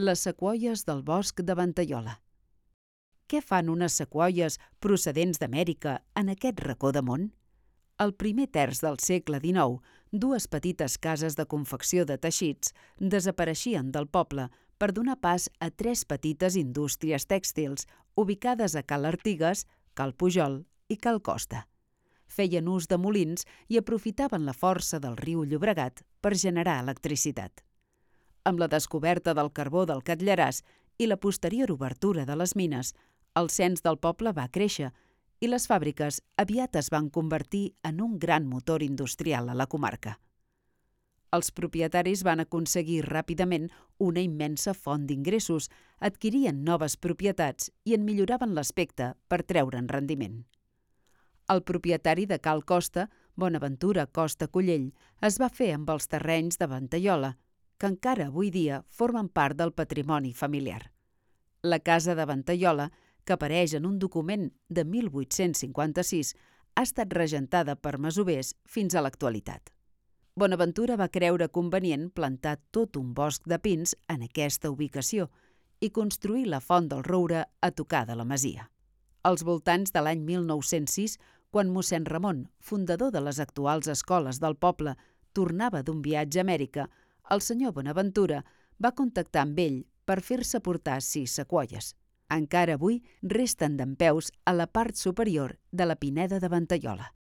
Les sequoies del bosc de Ventaiola. Què fan unes sequoies procedents d'Amèrica en aquest racó de món? Al primer terç del segle XIX, dues petites cases de confecció de teixits desapareixien del poble per donar pas a tres petites indústries tèxtils ubicades a Cal Artigues, Cal Pujol i Cal Costa. Feien ús de molins i aprofitaven la força del riu Llobregat per generar electricitat. Amb la descoberta del carbó del Catllaràs i la posterior obertura de les mines, el cens del poble va créixer i les fàbriques aviat es van convertir en un gran motor industrial a la comarca. Els propietaris van aconseguir ràpidament una immensa font d'ingressos, adquirien noves propietats i en milloraven l'aspecte per treure'n rendiment. El propietari de Cal Costa, Bonaventura Costa Collell, es va fer amb els terrenys de Ventaiola, que encara avui dia formen part del patrimoni familiar. La casa de Ventaiola, que apareix en un document de 1856, ha estat regentada per masovers fins a l'actualitat. Bonaventura va creure convenient plantar tot un bosc de pins en aquesta ubicació i construir la Font del Roure a tocar de la masia. Als voltants de l'any 1906, quan mossèn Ramon, fundador de les actuals escoles del poble, tornava d'un viatge a Amèrica, el senyor Bonaventura va contactar amb ell per fer-se portar 6 sequoies. Encara avui resten dempeus a la part superior de la pineda de Ventaiola.